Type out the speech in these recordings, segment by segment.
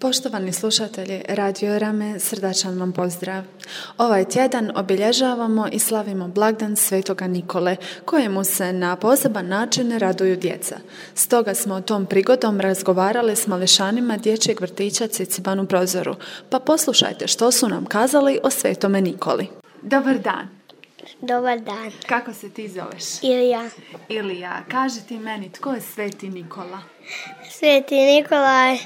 Poštovani slušatelji Radio Rame, srdačan vam pozdrav. Ovaj tjedan obilježavamo i slavimo blagdan Svetoga Nikole, kojemu se na poseban način raduju djeca. Stoga smo tom prigodom razgovarali s mališanima dječjeg vrtića Ciciban u Prozoru. Pa poslušajte što su nam kazali o Svetome Nikoli. Dobar dan. Dobar dan. Kako se ti zoveš? Ilija, kaži ti meni, tko je Sveti Nikola? Sveti Nikola je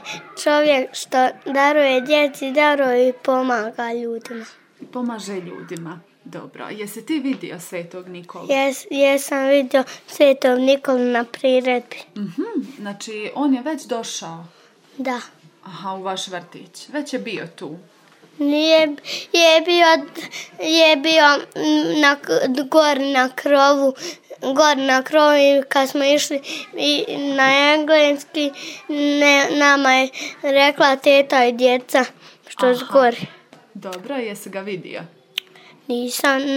čovjek što daruje djeci, daruje i pomaga ljudima. Pomaže ljudima. Dobro. Jesi ti vidio Svetog Nikolu? Jesam vidio Svetog Nikolu na priredbi. Znači, on je već došao? Da. Aha, u vaš vrtić. Već je bio tu? Nije, je bio gor na krovu i kad smo išli na engleski, nama je rekla teta i djeca što zgori. Dobro, jesi ga vidio?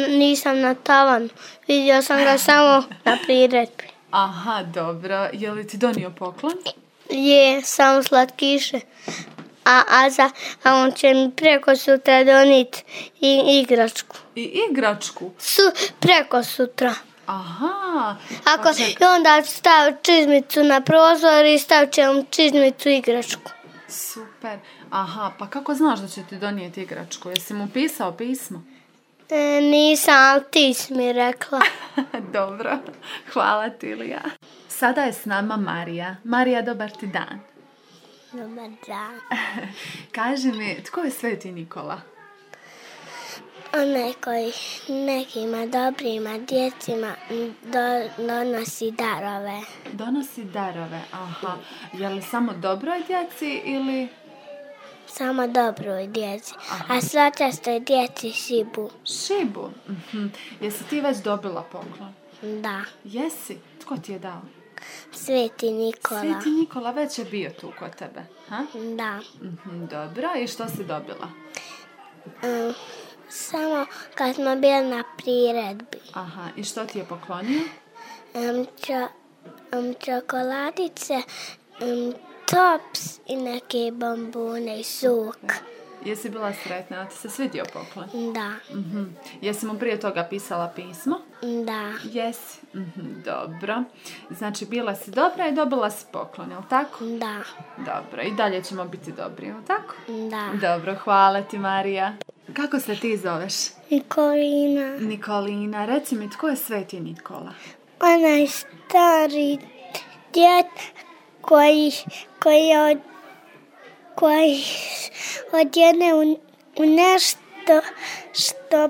Nisam na tavanu, vidio sam ga samo na priredbi. Aha, dobro. Je li ti donio poklon? Je, samo slatkiše. A on će mi preko sutra doniti i igračku. I igračku? Preko sutra. Aha. I onda stavi čizmicu na prozor i stavit će mu čizmicu igračku. Super. Aha, pa kako znaš da će ti donijeti igračku? Jesi mu pisao pismo? Nisam, ali ti si mi rekla. Dobro. Hvala ti, Ilija. Sada je s nama Marija. Marija, dobar ti dan. Dobar dan. Kaži mi, tko je Sveti Nikola? Onaj koji nekima dobrima djecima donosi darove. Donosi darove, aha. Je li samo dobroj djeci ili... Samo dobroj djeci. Aha. A svačastoj djeci šibu. Šibu? Jesi ti već dobila poklon? Da. Jesi? Tko ti je dao? Sveti Nikola. Sveti Nikola već je bio tu kod tebe, ha? Da. Dobro, i što si dobila? Samo kad smo bili na priredbi. Aha, i što ti je poklonio? Čokoladice, tops i neke bombone i sok. Jesi bila sretna? Ti se svidio poklon? Da. Jesi mu prije toga pisala pismo? Da. Jesi? Dobro. Znači, bila si dobra i dobila si poklon, jel' tako? Da. Dobro, i dalje ćemo biti dobri, jel' tako? Da. Dobro, hvala ti, Marija. Kako se ti zoveš? Nikolina. Nikolina. Reci mi, tko je Sveti Nikola? Onaj stari djed koji odjene u nešto što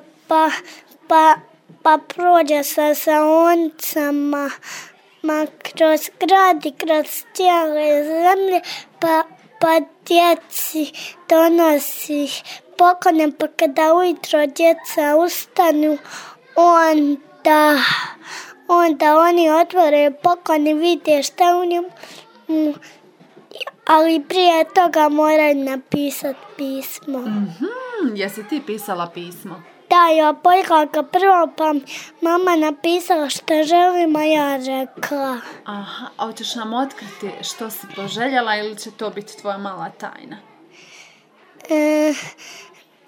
pa prođe sa saoncama kroz grad i kroz cijele zemlje pa djeci donosi poklone, pa kada ujutro djeca ustanu onda oni otvore poklon i vide šta u njemu, ali prije toga moraju napisati pismo. Jesi ti pisala pismo? Da, ja pojela ga prvo, pa mama napisala što želim, a ja rekla. Aha, a hoćeš nam otkriti što si poželjela ili će to biti tvoja mala tajna?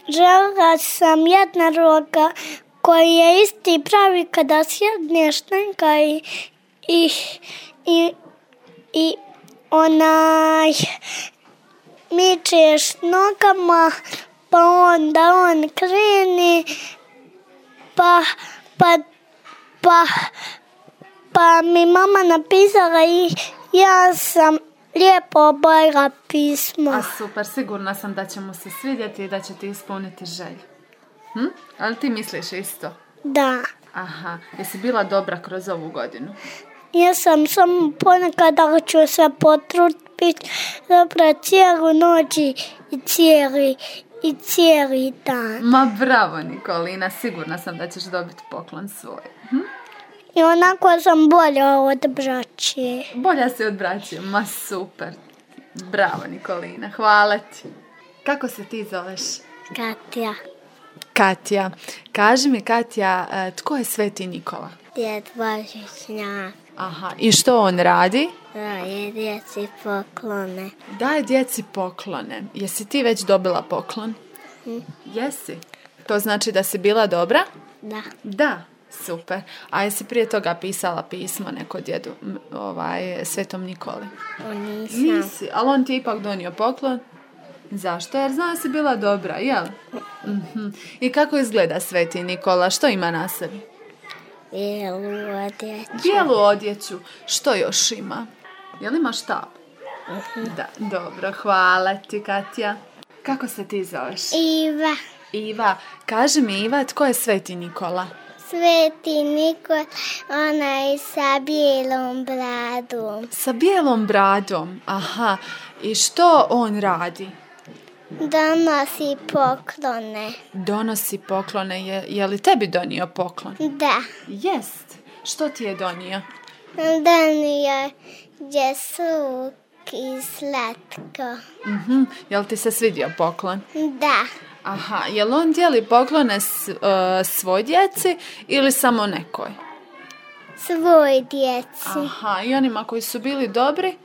Željela sam jednoroga koji je isti pravi kada sjedneš njega i onaj mičeš nogama, pa onda on kreni, pa mi mama napisala i ja sam lijepo obojila pismo. A super, sigurna sam da će mu se svidjeti i da će ti ispuniti želju. Ali ti misliš isto? Da. Aha, jesi bila dobra kroz ovu godinu? Ja sam samo ponekad ću se potruditi dobra cijelu noć i cijeli dan. Ma bravo, Nikolina, sigurna sam da ćeš dobiti poklon svoj. I onako sam bolja od braće. Bolja si od braće, ma super. Bravo, Nikolina, hvala ti. Kako se ti zoveš? Katja. Katja. Kaži mi, Katja, tko je Sveti Nikola? Djed Božićnjak. Aha, i što on radi? Daje djeci poklone. Daje djeci poklone. Jesi ti već dobila poklon? Jesi? To znači da si bila dobra? Da. Da, super. A jesi prije toga pisala pismo neko djedu, Svetom Nikoli? Nisam. Nisi, ali on ti je ipak donio poklon. Zašto? Jer zna da si bila dobra, jel? I kako izgleda Sveti Nikola? Što ima na sebi? Bijelu odjeću. Bijelu odjeću. Što još ima? Jel ima štab? Da, dobro, hvala ti, Katja. Kako se ti zoveš? Iva. Iva, kaži mi, Iva, tko je Sveti Nikola? Sveti Nikola, onaj sa bijelom bradom. Sa bijelom bradom, aha. I što on radi? Donosi poklone. Donosi poklone. Je li tebi donio poklon? Da. Jest. Što ti je donio? Donio je sluk i slatko. Jel ti se svidio poklon? Da. Aha, jel on dijeli poklone svoj djeci ili samo nekoj? Svoj djeci. Aha, i onima koji su bili dobri?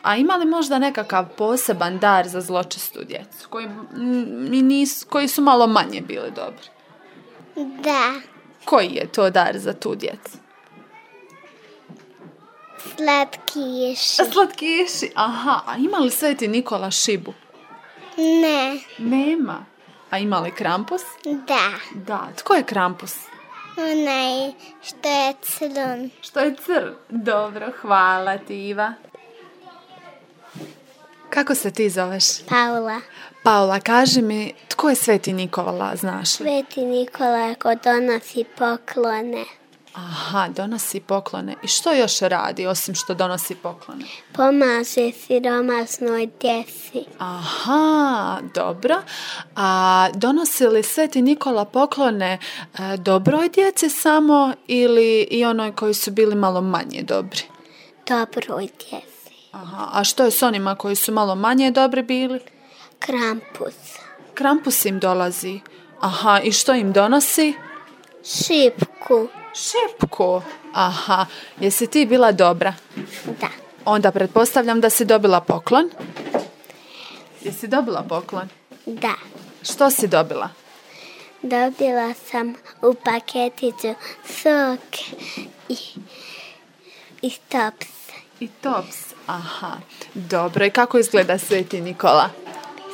A ima li možda nekakav poseban dar za zločestu djecu koji su malo manje bili dobri? Da. Koji je to dar za tu djecu? Slatkiši. Slatkiši, aha. A ima li Sveti Nikola šibu? Ne. Nema. A ima li Krampus? Da. Da. Tko je Krampus? Onaj što je crn. Što je crn? Dobro, hvala ti, Iva. Kako se ti zoveš? Paula. Paula, kaži mi, tko je Sveti Nikola, znaš li? Sveti Nikola ko donosi poklone. Aha, donosi poklone. I što još radi osim što donosi poklone? Pomaže siromašnoj djeci. Aha, dobro. A donosi li Sveti Nikola poklone dobroj djeci samo ili i onoj koji su bili malo manje dobri? Dobroj djeci. Aha, a što je s onima koji su malo manje dobri bili? Krampus. Krampus im dolazi. Aha, i što im donosi? Šipku. Šipku. Aha, jesi ti bila dobra? Da. Onda pretpostavljam da si dobila poklon. Jesi dobila poklon? Da. Što si dobila? Dobila sam u paketiću sok i tops. I tops. Aha, dobro. I kako izgleda Sveti Nikola?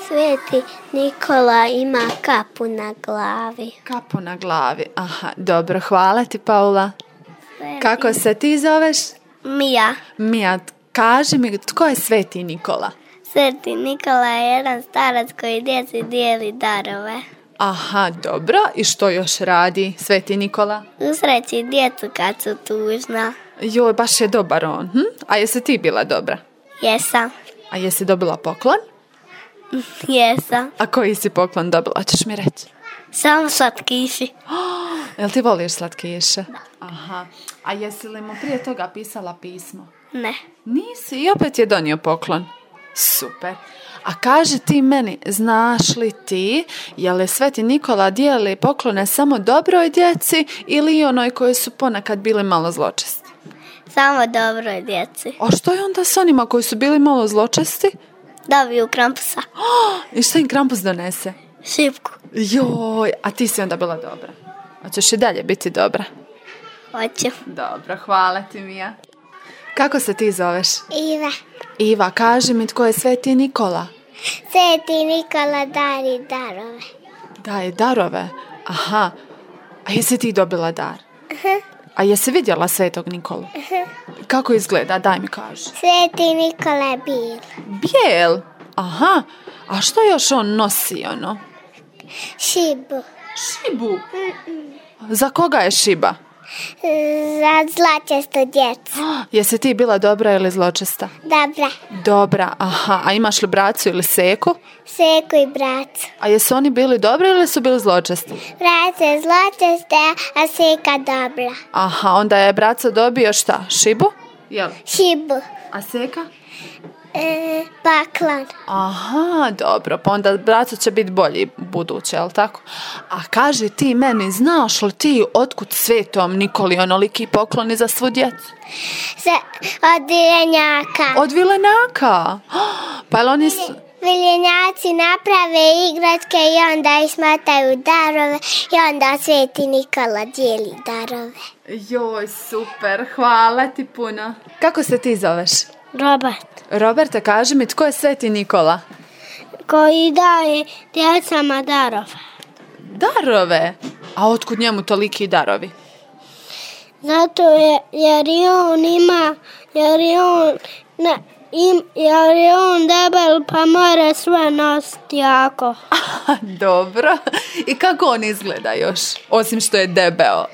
Sveti Nikola ima kapu na glavi. Kapu na glavi. Aha, dobro. Hvala ti, Paula. Kako se ti zoveš? Mija. Mija, kaži mi, tko je Sveti Nikola? Sveti Nikola je jedan starac koji djeci dijeli darove. Aha, dobro. I što još radi Sveti Nikola? Usreći djecu kad su tužna. Joj, baš je dobar on. A jesi ti bila dobra? Jesam. A jesi dobila poklon? Jesam. A koji si poklon dobila, ćeš mi reći? Samo slatkiši. Jel ti voliš slatkiše? Da. Aha. A jesi li mu prije toga pisala pismo? Ne. Nisi i opet je donio poklon. Super. A kaži ti meni, znaš li ti, je li Sveti Nikola dijeli poklone samo dobroj djeci ili onoj koji su ponekad bili malo zločesti? Samo dobroj djeci. A što je onda s onima koji su bili malo zločesti? Dobiju Krampusa. I što im Krampus donese? Šipku. Joj, a ti si onda bila dobra. Hoćeš i dalje biti dobra? Hoću. Dobro, hvala ti, Mija. Kako se ti zoveš? Iva. Iva, kaži mi, tko je Sveti Nikola? Sveti Nikola dari darove. Daje darove? Aha. A jesi ti dobila dar? A jesi vidjela Svetog Nikolu? Kako izgleda? Daj mi kaži. Sveti Nikola je bijel. Bijel? Aha. A što još on nosi, ono? Šibu. Šibu? Za koga je šiba? Za zločestu djecu. Jesi ti bila dobra ili zločesta? Dobra. Dobra, aha. A imaš li bracu ili seku? Seku i bracu. A jesu oni bili dobri ili su bili zločesti? Braca je zločesta, a seka dobra. Aha, onda je braco dobio šta? Šibu? Jel? Šibu. A seka? Paklan. Aha, dobro, pa onda braco će biti bolji buduće, jel tako? A kaži ti meni, znaš li ti otkud Svetom Nikoli onoliki pokloni za svu djecu? Od vilenjaka. Od vilenjaka? Pa jel oni su... Vilenjaci naprave igračke i onda ismataju darove i onda Sveti Nikola dijeli darove. Joj, super, hvala ti puno. Kako se ti zoveš? Robert. Roberte, kaži mi, tko je Sveti Nikola? Koji daje djecama darove. Darove? A otkud njemu toliki darovi? Zato jer je on debel pa mora sve nositi jako. Dobro. I kako on izgleda još? Osim što je debeo.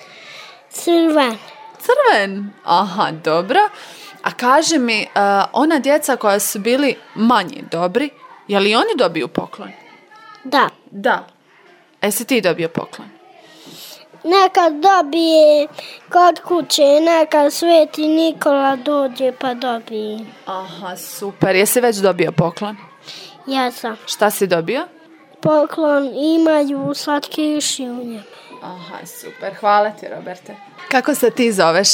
Crven. Crven? Aha, dobro. A kaži mi, ona djeca koja su bili manji dobri, je li oni dobiju poklon? Da. Da. Jesi ti dobio poklon? Nekad dobije kod kuće, nekad Sveti Nikola dođe pa dobije. Aha, super. Jesi već dobio poklon? Ja sam. Šta si dobio? Poklon imaju slatkiši u njemu. Aha, super. Hvala ti, Roberte. Kako se ti zoveš?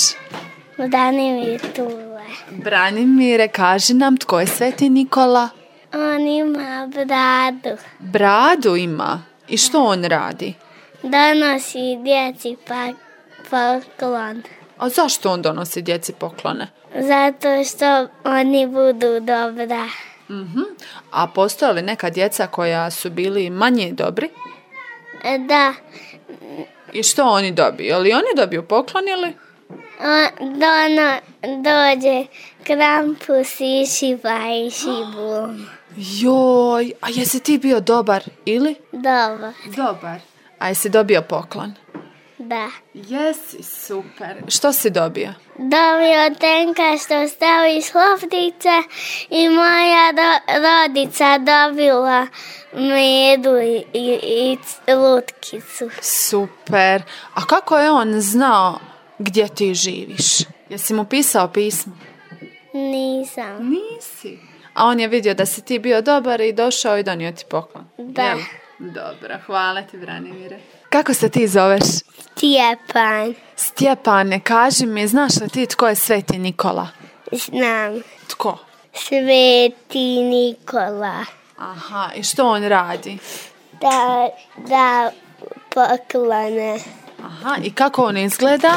Branimir Tule. Branimire, kaži nam, tko je Sveti Nikola? On ima bradu. Bradu ima? I što on radi? Donosi djeci poklon. A zašto on donosi djeci poklone? Zato što oni budu dobra. A postoje li neka djeca koja su bili manje dobri? Da. I što oni dobiju? Je li oni dobiju poklon ili? Dođe Krampus i šiba i šibu. Joj, a jesi ti bio dobar ili? Dobar. Dobar. A jesi dobio poklon? Da. Jesi, super. Što si dobio? Dobio tenka što stavi loptice i moja rodica dobila medu i lutkicu. Super. A kako je on znao gdje ti živiš? Jesi mu pisao pismo? Nisam. Nisi. A on je vidio da si ti bio dobar i došao i donio ti poklon. Da. Jel? Dobro, hvala ti, Branimire. Kako se ti zoveš? Stjepan. Stjepane, kaži mi, znaš li ti tko je Sveti Nikola? Znam. Tko? Sveti Nikola. Aha, i što on radi? Da poklone. Aha, i kako on izgleda?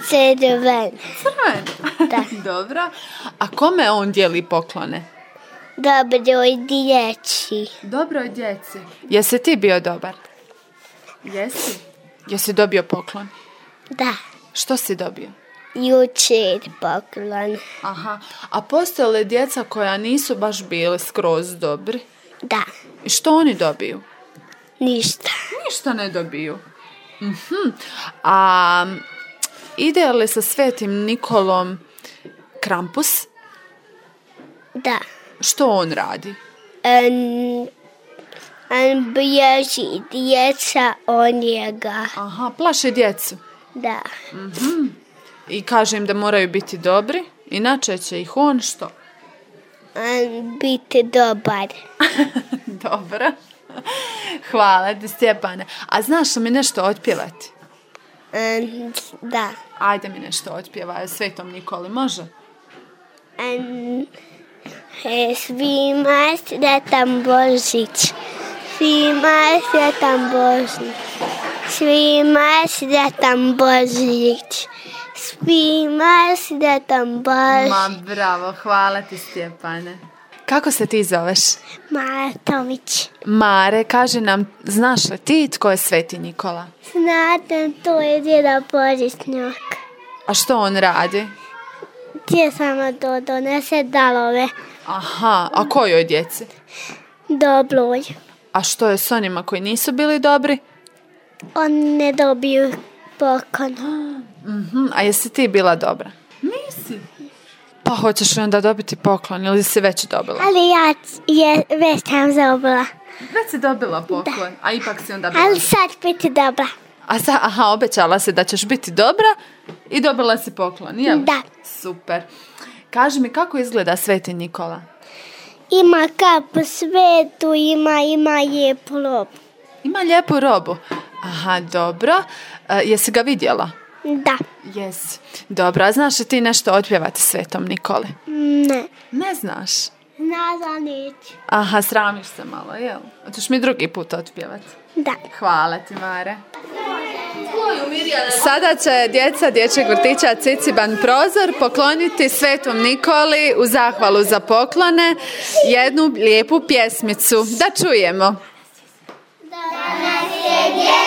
Crven. Crven? Da. Dobro. A kome on dijeli poklone? Dobroj djeci. Dobroj djeci. Jesi ti bio dobar? Jesi? Jesi dobio poklon? Da. Što si dobio? Jučer poklon. Aha. A postoje li djeca koja nisu baš bili skroz dobri? Da. I što oni dobiju? Ništa. Ništa ne dobiju. A ide li sa Svetim Nikolom Krampus? Da. Što on radi? On bježi djeca od njega. Aha, plaše djecu. Da. I kaže im da moraju biti dobri, inače će ih on što? On biti dobar. Dobro. Hvala ti, Stjepane. A znaš li mi nešto otpjevati? Da. Ajde mi nešto otpjevaj o Svetom Nikoli, može? Svima sretan Božić. Svima sretan Božić. Svima sretan Božić. Svima sretan Božić. Ma bravo, hvala ti, Stjepane. Kako se ti zoveš? Mara Tomić. Mare, kaži nam, znaš li ti tko je Sveti Nikola? Znate, to je djeda Božićnjak. A što on radi? Gdje samo to donese darove. Aha, a kojoj djeci? Dobroj. A što je s onima koji nisu bili dobri? Oni ne dobiju poklon. A jesi ti bila dobra? Nisi. Pa hoćeš li onda dobiti poklon ili si već dobila? Ali ja već sam dobila. Već si dobila poklon, da. A ipak si onda bila. Ali sad biti dobra. Obećala si da ćeš biti dobra i dobila si poklon, jel? Da. Super. Kaži mi, kako izgleda Sveti Nikola? Ima kapu svetu, ima lijepu robu. Ima lijepu robu. Aha, dobro. Jesi ga vidjela? Da. Jesi. Dobro, a znaš li ti nešto otpjevati Svetom Nikoli? Ne. Ne znaš? Nada neću. Aha, sramiš se malo, jel? Hoćeš mi drugi put otpjevati? Da. Hvala ti, Mare. Sada će djeca dječjeg vrtića Ciciban Prozor pokloniti Svetom Nikoli u zahvalu za poklone jednu lijepu pjesmicu. Da čujemo. Da nas je